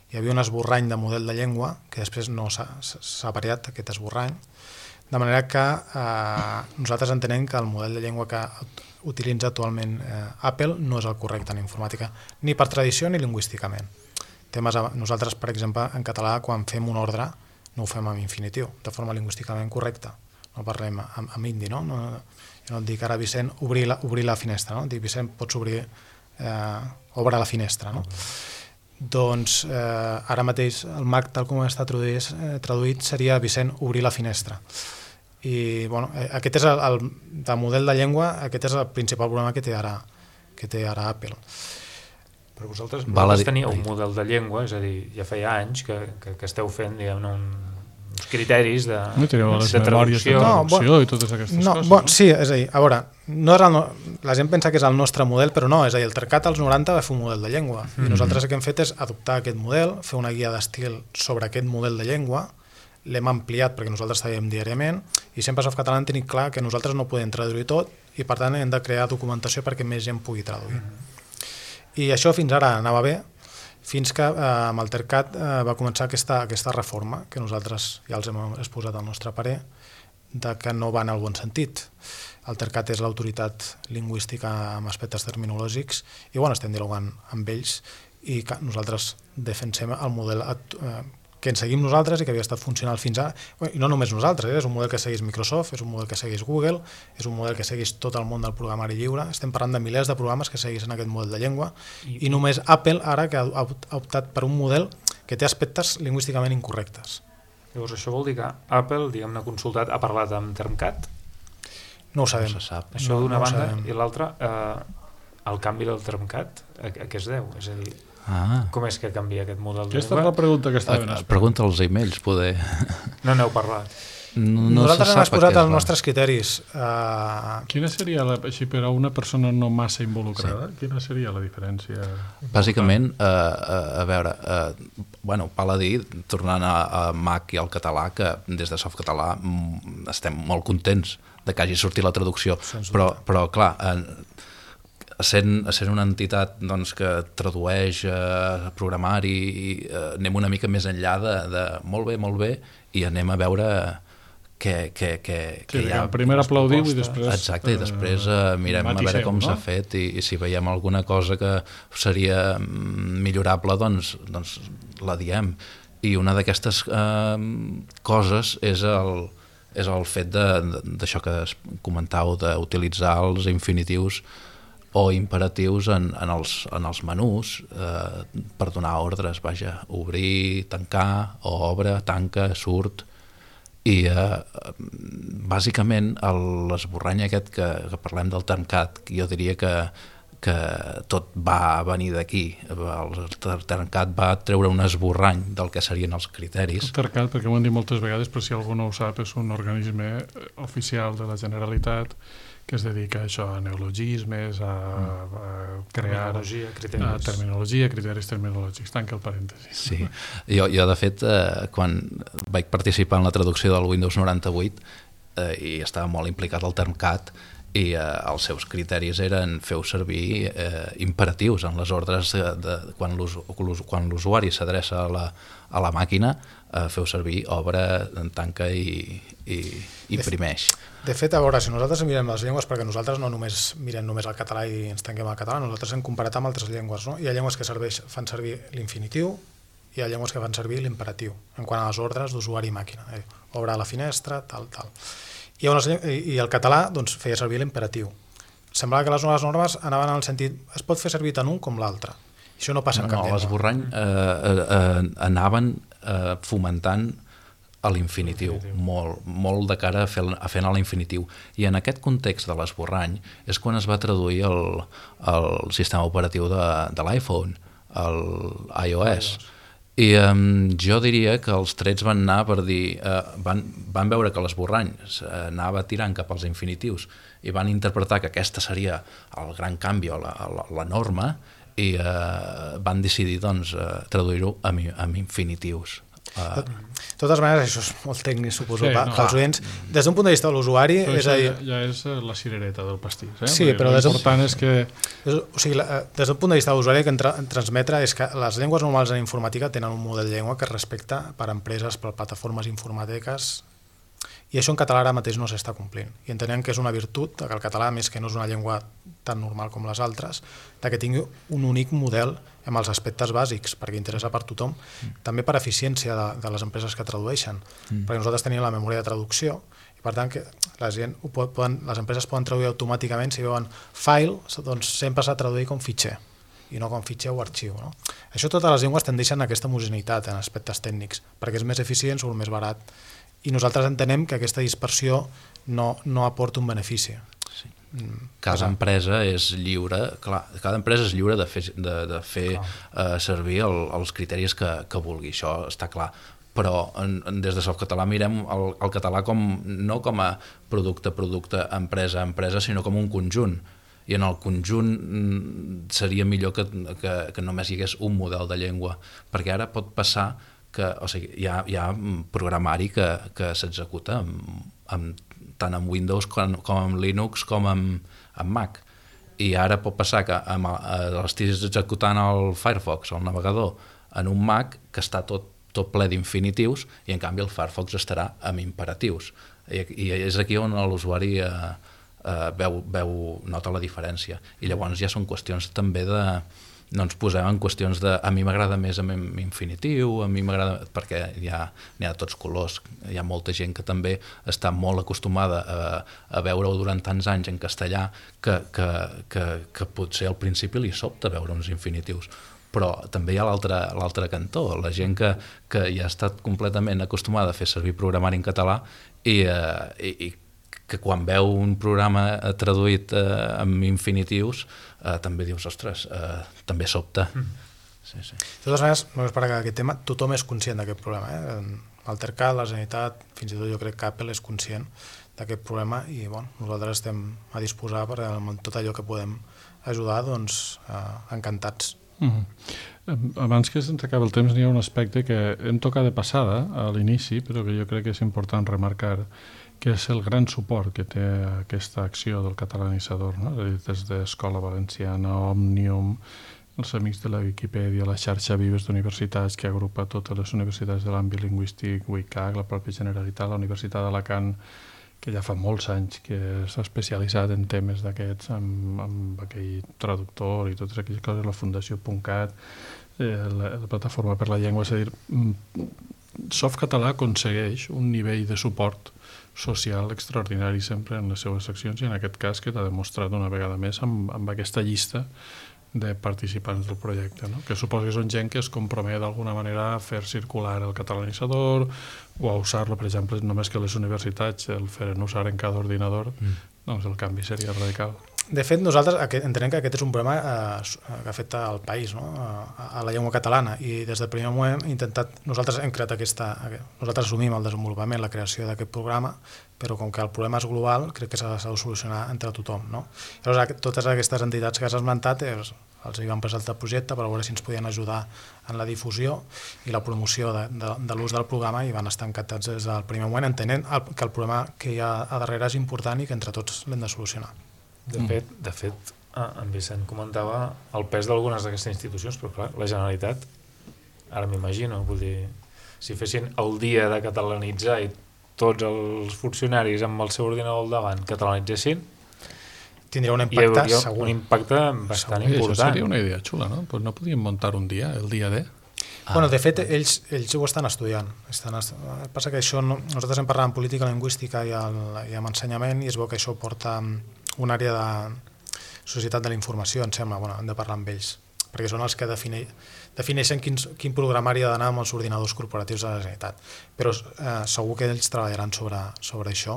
hi havia un esborrany de model de llengua que després no s'ha variat, aquest esborrany, de manera que nosaltres entenem que el model de llengua que utilitza actualment Apple no és el correcte en informàtica, ni per tradició ni lingüísticament. Nosaltres, per exemple, en català, quan fem un ordre, no ho fem amb infinitiu, de forma lingüísticament correcta. No parlem amb indi, no? Jo no et dic ara, Vicent, obrir la finestra, no? Et dic, Vicent, pots obrir, obre la finestra, no? Doncs ara mateix el Mac, tal com està traduït, seria Vicent, obrir la finestra. I aquest és el model de llengua, aquest és el principal problema que té ara Apple. Però vosaltres teníeu un model de llengua, és a dir, ja feia anys que esteu fent, diguem-ne, uns criteris de traducció i totes aquestes coses. Sí, és a dir, a veure, la gent pensa que és el nostre model, però no, és a dir, el TERCAT als 90 va fer un model de llengua i nosaltres el que hem fet és adoptar aquest model, fer una guia d'estil sobre aquest model de llengua, l'hem ampliat perquè nosaltres treballem diàriament i sempre a Softcatalà hem tenit clar que nosaltres no podem traduir tot i per tant hem de crear documentació perquè més gent pugui traduir. I això fins ara anava bé, fins que amb el TERCAT va començar aquesta reforma, que nosaltres ja els hem exposat al nostre parer, de que no va en el bon sentit. El TERCAT és l'autoritat lingüística amb aspectes terminològics i estem dialogant amb ells i que nosaltres defensem el model que ens seguim nosaltres i que havia estat funcional fins ara. I no només nosaltres, és un model que segueix Microsoft, és un model que segueix Google, és un model que segueix tot el món del programari lliure. Estem parlant de milers de programes que segueixen aquest model de llengua i només Apple ara que ha optat per un model que té aspectes lingüísticament incorrectes. Llavors això vol dir que Apple, diguem-ne, consultat, ha parlat amb TERCAT? No ho sabem. No se sap. Això d'una banda, i l'altra, el canvi del TERCAT, a què es deu? És a dir, com és que canvia aquest model de llengua? Aquesta és la pregunta que estaven esperant. Pregunta als emails, poder. No n'heu parlat. Nosaltres hem exposat els nostres criteris. Quina seria, així per a una persona no massa involucrada, quina seria la diferència? Bàsicament, a veure, val a dir, tornant a Mac i al català, que des de Softcatalà estem molt contents de que hagi sortit la traducció, però clar, sent una entitat que tradueix programari i anem una mica més enllà de molt bé i anem a veure que hi ha... Primer aplaudiu i després... Exacte, i després mirem a veure com s'ha fet i si veiem alguna cosa que seria millorable, doncs la diem. I una d'aquestes coses és el fet d'això que comentàveu, d'utilitzar els infinitius o imperatius en els menús per donar ordres, obrir, tancar, o obre, tanca, surt, i bàsicament l'esborrany aquest que parlem del TERCAT, jo diria que tot va venir d'aquí. El TERCAT va treure un esborrany del que serien els criteris. El TERCAT, perquè ho hem dit moltes vegades, però si algú no ho sap, és un organisme oficial de la Generalitat que es dedica a això, a neologismes, a crear terminologia, criteris terminològics. Tanca el parèntesi. Sí, jo de fet, quan vaig participar en la traducció del Windows 98 i estava molt implicat al TERCAT, i els seus criteris eren feu servir imperatius en les ordres quan l'usuari s'adreça a la màquina, feu servir obre, tanca i imprimeix. De fet, a veure, si nosaltres mirem les llengües, perquè nosaltres no només mirem només el català i ens tanquem al català, nosaltres hem comparat amb altres llengües, no? Hi ha llengües que fan servir l'infinitiu, hi ha llengües que fan servir l'imperatiu, en quant a les ordres d'usuari i màquina. Obre la finestra, tal. I el català doncs, feia servir l'imperatiu. Semblava que les noves normes anaven en el sentit es pot fer servir tant un com l'altre. Això no passa en cap llengua. L'esborrany anaven fomentant l'infinitiu, molt de cara a fer anar l'infinitiu. I en aquest context de l'esborrany és quan es va traduir el sistema operatiu de l'iPhone, l'iOS. I jo diria que els trets van anar per dir, van veure que l'esborrany anava tirant cap als infinitius i van interpretar que aquesta seria el gran canvi o la norma i van decidir doncs, traduir-ho amb infinitius. De totes maneres, això és molt tècnic, suposo, pels oients. Des d'un punt de vista de l'usuari... Ja és la cirereta del pastís. Sí, però l'important és que... O sigui, des d'un punt de vista de l'usuari, el que transmetre és que les llengües normals en informàtica tenen un model de llengua que es respecta per empreses, per plataformes informàtiques, i això en català ara mateix no s'està complint. I entenem que és una virtut, que el català, més que no és una llengua tan normal com les altres, que tingui un únic model amb els aspectes bàsics, perquè interessa per tothom, també per eficiència de les empreses que tradueixen, perquè nosaltres tenim la memòria de traducció, i per tant que les empreses poden traduir automàticament, si veuen file, doncs sempre s'ha de traduir com fitxer, i no com fitxer o arxiu. No? Això totes les llengües tendeixen a aquesta homogeneïtat en aspectes tècnics, perquè és més eficient, surt més barat, i nosaltres entenem que aquesta dispersió no aporta un benefici. Sí. Cada empresa és lliure, cada empresa és lliure de fer servir els criteris que vulgui, això està clar. Però des de Softcatalà mirem el català no com a producte, empresa, sinó com un conjunt. I en el conjunt seria millor que només hi hagués un model de llengua, perquè ara pot passar que hi ha programari que s'executa tant amb Windows com amb Linux com amb Mac. I ara pot passar que l'estiguis executant el Firefox, el navegador, en un Mac que està tot ple d'infinitius i en canvi el Firefox estarà amb imperatius. I és aquí on l'usuari nota la diferència. I llavors ja són qüestions també no ens posem en qüestions a mi m'agrada més amb infinitiu, a mi m'agrada perquè n'hi ha de tots colors, hi ha molta gent que també està molt acostumada a veure-ho durant tants anys en castellà que potser al principi li sobta veure uns infinitius, però també hi ha l'altre cantó, la gent que ja ha estat completament acostumada a fer servir programari en català i que quan veu un programa traduït amb infinitius també dius, ostres, també sobta. Sí. De totes maneres, només per acabar aquest tema, tothom és conscient d'aquest problema. L'Altercat, la Generalitat, fins i tot jo crec que Apple és conscient d'aquest problema i nosaltres estem a disposar per tot allò que podem ajudar, doncs encantats. Abans que se'ns acabi el temps, n'hi ha un aspecte que hem tocat de passada a l'inici, però que jo crec que és important remarcar, que és el gran suport que té aquesta acció del catalanitzador, no? Des d'Escola Valenciana, Òmnium, els amics de la Viquipèdia, la xarxa Vives d'universitats que agrupa totes les universitats de l'àmbit lingüístic, UICAC, la pròpia Generalitat, la Universitat d'Alacant, que ja fa molts anys que s'ha especialitzat en temes d'aquests, amb aquell traductor i totes aquelles coses, la Fundació .cat, la Plataforma per la Llengua, és a dir, Softcatalà aconsegueix un nivell de suport social extraordinari sempre en les seves seccions i en aquest cas que t'ha demostrat una vegada més amb aquesta llista de participants del projecte, no? Que suposo que són gent que es compromet d'alguna manera a fer circular el catalanitzador o a usar-lo, per exemple, només que les universitats el feren usar en cada ordinador, doncs el canvi seria radical. De fet, nosaltres entenem que aquest és un problema que afecta al país, no? A la llengua catalana, i des del primer moment nosaltres hem creat nosaltres assumim el desenvolupament, la creació d'aquest programa, però com que el problema és global, crec que s'ha de solucionar entre tothom, no? Llavors, totes aquestes entitats que has esmentat, els hi vam presentar el projecte per veure si ens podien ajudar en la difusió i la promoció de l'ús del programa, i van estar encantats des del primer moment, entenent que el problema que hi ha a darrere és important i que entre tots l'hem de solucionar. De fet, en Vicent comentava el pes d'algunes d'aquestes institucions, però clar, la Generalitat, ara m'imagino, vull dir, si fessin el dia de catalanitzar i tots els funcionaris amb el seu ordinador al davant catalanitzessin, tindria un impacte segur. Un impacte bastant important. Això seria una idea xula, no? Pues no podíem muntar un dia, el dia D. Bueno, de fet, ells ho estan estudiant. Passa que això, nosaltres hem parlat en política lingüística i en ensenyament, i es veu que això porta una àrea de societat de la informació, em sembla. Bueno, hem de parlar amb ells, perquè són els que defineixen quin programari ha d'anar amb els ordinadors corporatius de la Generalitat. Però segur que ells treballaran sobre això,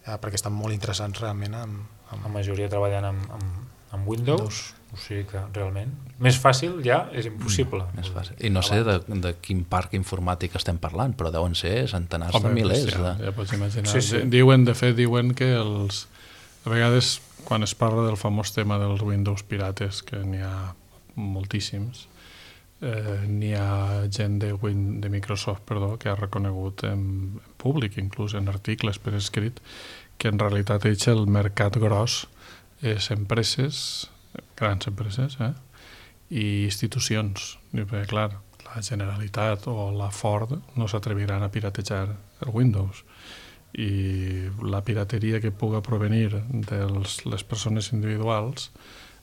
perquè estan molt interessants realment La majoria treballant amb Windows, o sigui que realment més fàcil ja és impossible. Més fàcil. I no sé de quin parc informàtic estem parlant, però deuen ser centenars de milers. Ja pots imaginar. Sí. Diuen que a vegades quan es parla del famós tema dels Windows pirates, que n'hi ha moltíssims, n'hi ha gent de Microsoft, que ha reconegut en públic, inclús en articles per escrit, que en realitat el mercat gros és empreses, grans empreses, i institucions. Perquè, clar, la Generalitat o la Ford no s'atreviran a piratejar el Windows. I la pirateria que puga provenir de les persones individuals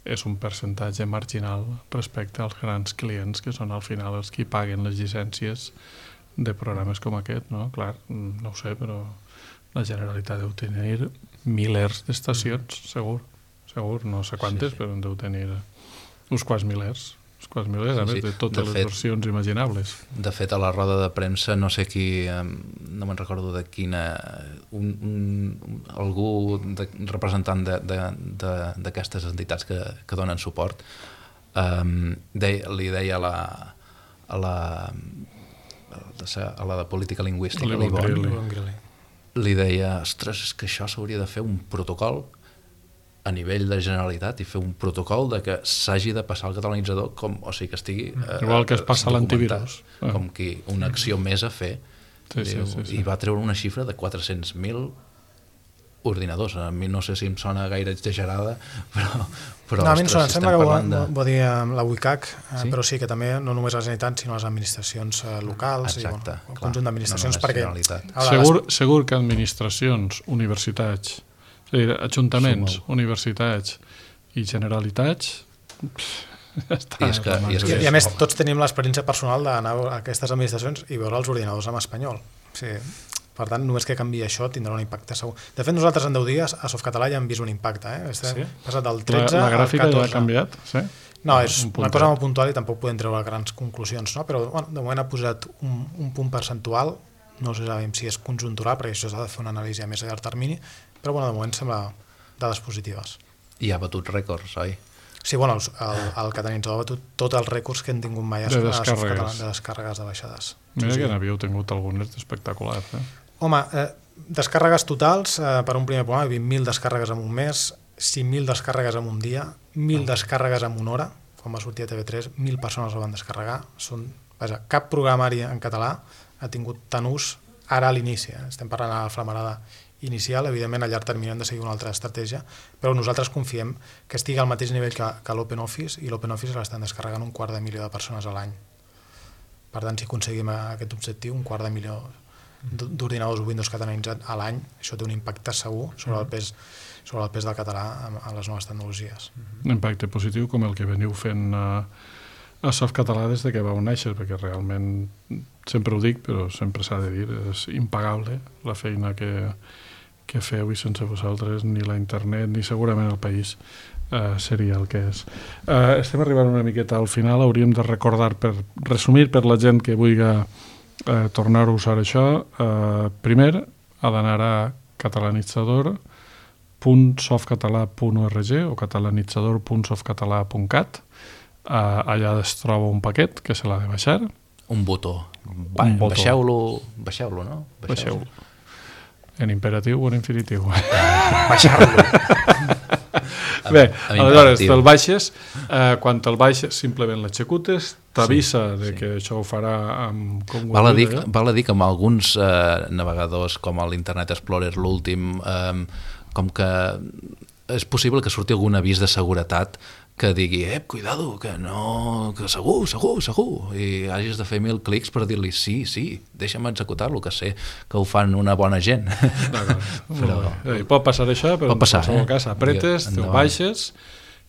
és un percentatge marginal respecte als grans clients, que són al final els que paguen les llicències de programes com aquest, no? Clar, no ho sé, però la Generalitat deu tenir milers d'estacions, segur, no sé quantes, però en deu tenir uns quants milers, a més de totes les versions imaginables. De fet, a la roda de premsa, no sé qui, no me'n recordo de quina, algú representant d'aquestes entitats que donen suport, li deia a la de política lingüística, li deia, ostres, és que això s'hauria de fer un protocol a nivell de Generalitat i fer un protocol de que s'hagi de passar el catalanitzador o sigui que estigui igual que es passa l'antivirus, com que una acció més a fer. Sí. I va treure una xifra de 400.000 ordinadors. A mi no sé si em sona gaire exagerada, però no, a mi em sembla que ho dir la WCAG, sí? Però sí que també no només la Generalitat sinó les administracions locals. Exacte, i el conjunt d'administracions, perquè segur que administracions, universitats, ajuntaments, universitats i generalitats i a més tots tenim l'experiència personal d'anar a aquestes administracions i veure els ordinadors en espanyol. Sí. Per tant, només que canviï això tindrà un impacte segur. De fet, nosaltres en 10 dies a Softcatalà ja hem vist un impacte. Sí? Passat del 13 la gràfica al 14. ja ha canviat? Sí? No, és una cosa molt puntual i tampoc podem treure grans conclusions, no? Però bueno, de moment ha posat un punt percentual, no sabem si és conjuntural, perquè això s'ha de fer una anàlisi a més a llarg termini, però bueno, de moment sembla dades positives. I ha batut rècords, oi? Sí, bueno, el catalanitzador ha batut tots els rècords que hem tingut mai a Softcatalà de descàrregues de baixades. Mira que n'havíeu tingut algunes espectaculars, Home, descàrregues totals, per un primer programa, 20.000 descàrregues en un mes, 5.000 descàrregues en un dia, 1.000 descàrregues en una hora, quan va sortir a TV3, 1.000 persones el van descarregar. Cap programari en català ha tingut tant ús ara a l'inici. Estem parlant de la flamarada inicial, evidentment a llarg termini hem de seguir una altra estratègia, però nosaltres confiem que estigui al mateix nivell que l'OpenOffice, i l'OpenOffice l'estan descarregant 250.000 de persones a l'any. Per tant, si aconseguim aquest objectiu, 250.000 d'ordinadors Windows catalanitzats a l'any, això té un impacte segur sobre el pes del català a les noves tecnologies. Un impacte positiu com el que veniu fent a Softcatalà des que vau néixer, perquè realment, sempre ho dic, però sempre s'ha de dir, és impagable la feina que feu, i sense vosaltres ni la internet ni segurament el país seria el que és. Estem arribant una miqueta al final, hauríem de recordar, per resumir per la gent que vulgui tornar a usar això, primer ha d'anar a catalanitzador.softcatalà.org o catalanitzador.softcatalà.cat. Allà es troba un paquet que se l'ha de baixar. Un botó. Baixeu-lo, no? Baixeu-lo. En imperatiu o en infinitiu? Baixar-lo. Bé, aleshores, te'l baixes, quan te'l baixes simplement l'executes, t'avisa que això ho farà amb... Val a dir que amb alguns navegadors com l'Internet Explorer, l'últim, com que és possible que surti algun avís de seguretat que digui, cuidado, que no, que segur, i hagis de fer 1000 clics per dir-li sí, deixa'm executar-lo, que sé que ho fan una bona gent. Però... pot passar això, però en qualsevol cas apretes, te'l baixes,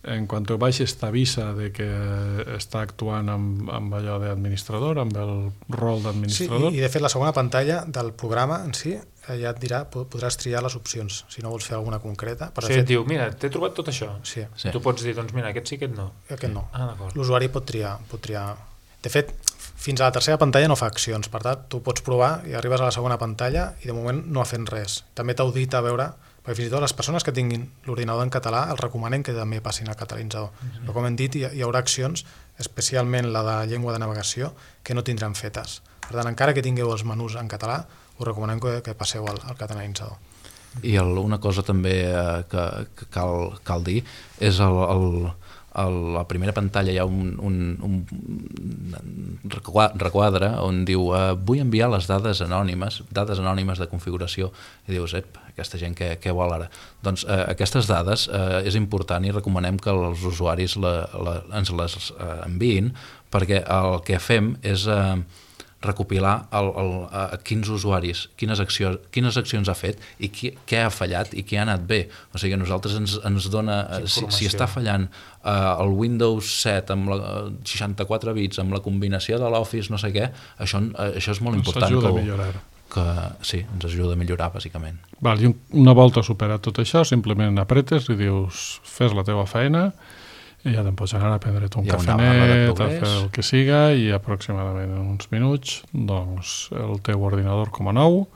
en quan te'l baixes t'avisa de que està actuant amb allò d'administrador, amb el rol d'administrador. Sí, i de fet la segona pantalla del programa en si ja et dirà, podràs triar les opcions, si no vols fer alguna concreta. Et diu, mira, t'he trobat tot això. Sí. Tu pots dir, doncs mira, aquest sí, aquest no. Aquest no. D'acord. L'usuari pot triar. De fet, fins a la tercera pantalla no fa accions, per tant, tu pots provar i arribes a la segona pantalla i de moment no ha fet res. També t'audita a veure, perquè fins i tot les persones que tinguin l'ordinador en català els recomanen que també passin al catalanitzador. Però com hem dit, hi haurà accions, especialment la de llengua de navegació, que no tindran fetes. Per tant, encara que tingueu els menús en català, us recomanem que passeu al catalanitzador. I una cosa també que cal dir és a la primera pantalla hi ha un requadre on diu vull enviar les dades anònimes de configuració, i dius, aquesta gent què vol ara? Doncs aquestes dades és important i recomanem que els usuaris ens les enviïn, perquè el que fem és recopilar quins usuaris, quines accions ha fet i què ha fallat i què ha anat bé. O sigui, a nosaltres ens dona... Si està fallant el Windows 7 amb 64 bits, amb la combinació de l'Office, no sé què, això és molt important. Ens ajuda a millorar. Sí, ens ajuda a millorar, bàsicament. I una volta superat tot això, simplement apretes i dius, fes la teva feina, i ja te'n pots anar a prendre't un cafenet, a fer el que siga, i aproximadament en uns minuts doncs el teu ordinador com a nou,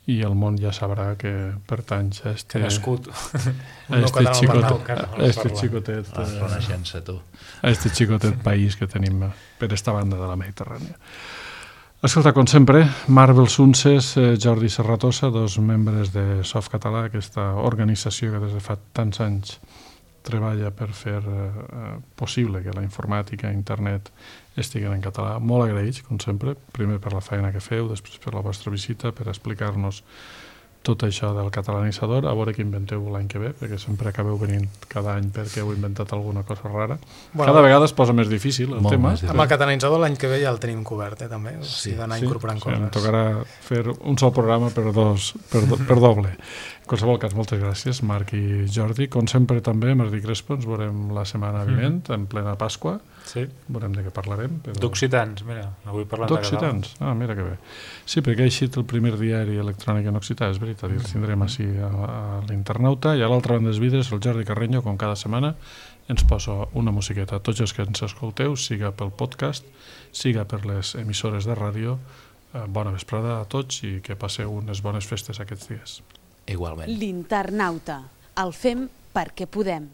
i el món ja sabrà que pertanys a este xicotet país que tenim per esta banda de la Mediterrània. Escolta, com sempre, Marvel Sunses, Jordi Serratosa, dos membres de Softcatalà, aquesta organització que des de fa tants anys treballa per fer possible que la informàtica i internet estiguen en català. Molt agraïts, com sempre, primer per la feina que feu, després per la vostra visita, per explicar-nos tot això del catalanitzador, a veure què inventeu l'any que ve, perquè sempre acabeu venint cada any perquè heu inventat alguna cosa rara. Cada vegada es posa més difícil el tema. Amb el catalanitzador l'any que ve ja el tenim cobert, també, o sigui, d'anar incorporant coses. Em tocarà fer un sol programa per doble. En qualsevol cas, moltes gràcies, Marc i Jordi. Com sempre també, Martí Crespo, ens veurem la setmana vinent, en plena Pasqua. Sí. Veurem de què parlarem. D'occitans, mira, avui parlant de català. D'occitans? Mira que bé. Sí, perquè ha eixit el primer diari electrònic en occità, és veritat, i el tindrem així a l'internauta, i a l'altra banda dels vidres, el Jordi Carreño, com cada setmana, ens posa una musiqueta. Tots els que ens escolteu, siga pel podcast, siga per les emissores de ràdio, bona vesprada a tots i que passeu unes bones festes aquests dies. Igualment. L'internauta. El fem perquè podem.